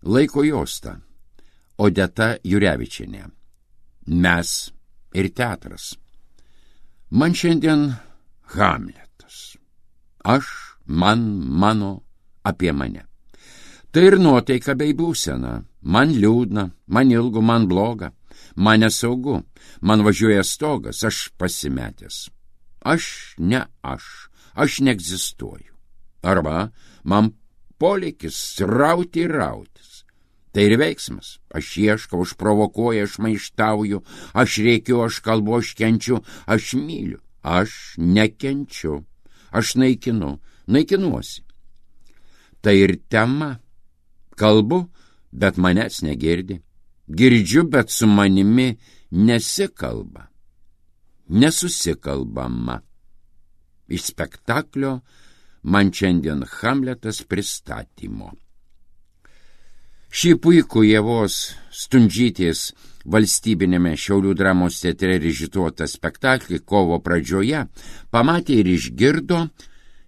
Laiko juosta. Odeta Jurevičienė. Mes ir teatras. Man šiandien Hamletas. Aš, man, mano, apie mane. Tai ir nuotaika bei būsena. Man liūdna, man ilgu, man bloga. Man nesaugu, man važiuoja stogas, aš pasimetęs. Aš neegzistuoju. Arba man polėkis rauti ir rautis. Tai ir veiksmas. Aš ieškau, aš provokuoju, aš maištauju, aš rėkiu, aš kalbu, aš kenčiu, aš myliu. Aš nekenčiu, aš naikinuosi. Tai ir tema. Kalbu, bet manęs negirdi. Girdžiu, bet su manimi nesikalba. Nesusikalbama. Iš spektaklio Man šiandien Hamletas pristatymo. Šį puikų Ievos Stundžytės valstybinėme Šiaulių dramos teatre režisuotą spektaklį kovo pradžioje pamatė ir išgirdo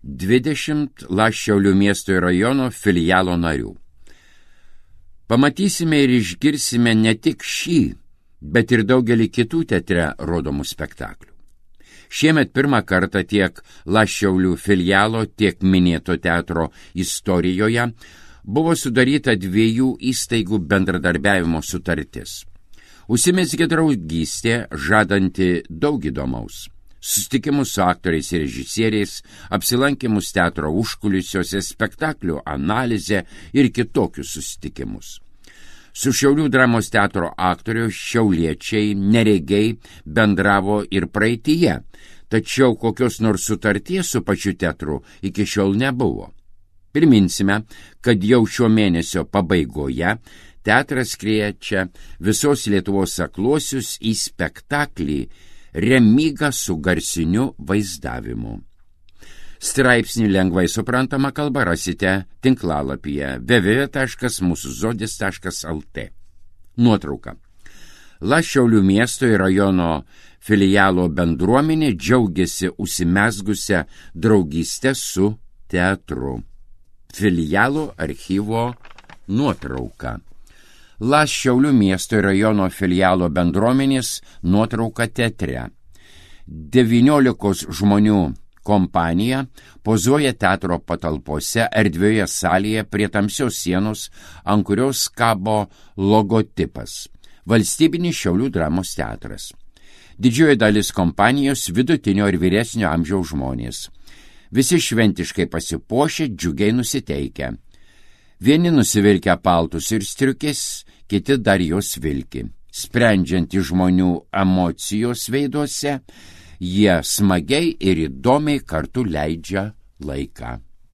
20 Šiaulių miesto ir rajono filialo narių. Pamatysime ir išgirsime ne tik šį, bet ir daugelį kitų teatre rodomų spektaklių. Šiemet pirmą kartą tiek Šiaulių filialo, tiek minėto teatro istorijoje buvo sudaryta 2 įstaigų bendradarbiavimo sutartis. Užsimezgė draugystė, žadanti daug įdomaus. Susitikimus su aktoriais ir režisieriais, apsilankimus teatro užkulisiuose, spektaklių analizę ir kitokius susitikimus. Su Šiaulių dramos teatro aktorių šiauliečiai neregiai bendravo ir praeityje, tačiau kokios nors sutarties su pačiu teatru iki šiol nebuvo. Priminsime, kad jau šio mėnesio pabaigoje teatras kviečia visos Lietuvos akluosius į spektaklį Remyga su garsiniu vaizdavimu. Straipsnį lengvai suprantama kalba rasite tinklalapyje www.musuzodis.lt. Nuotrauka. Šiaulių miesto ir rajono filialo bendruomenė džiaugiasi užsimezgusią draugystę su teatru. Filialo archyvo nuotrauka. Šiaulių miesto ir rajono filialo bendruomenės nuotrauka teatre. 19 žmonių kompanija pozuoja teatro patalpose erdvioje salėje prie tamsios sienos, ant kurios kabo logotipas – Valstybinis Šiaulių dramos teatras. Didžioji dalis kompanijos vidutinio ir vyresnio amžiaus žmonės. Visi šventiškai pasipuošę, džiugiai nusiteikę. Vieni nusivilkę paltus ir striukės, kiti dar jos vilki. Sprendžiant iš žmonių emocijos veiduose, jie smagiai ir įdomiai kartu leidžia laiką.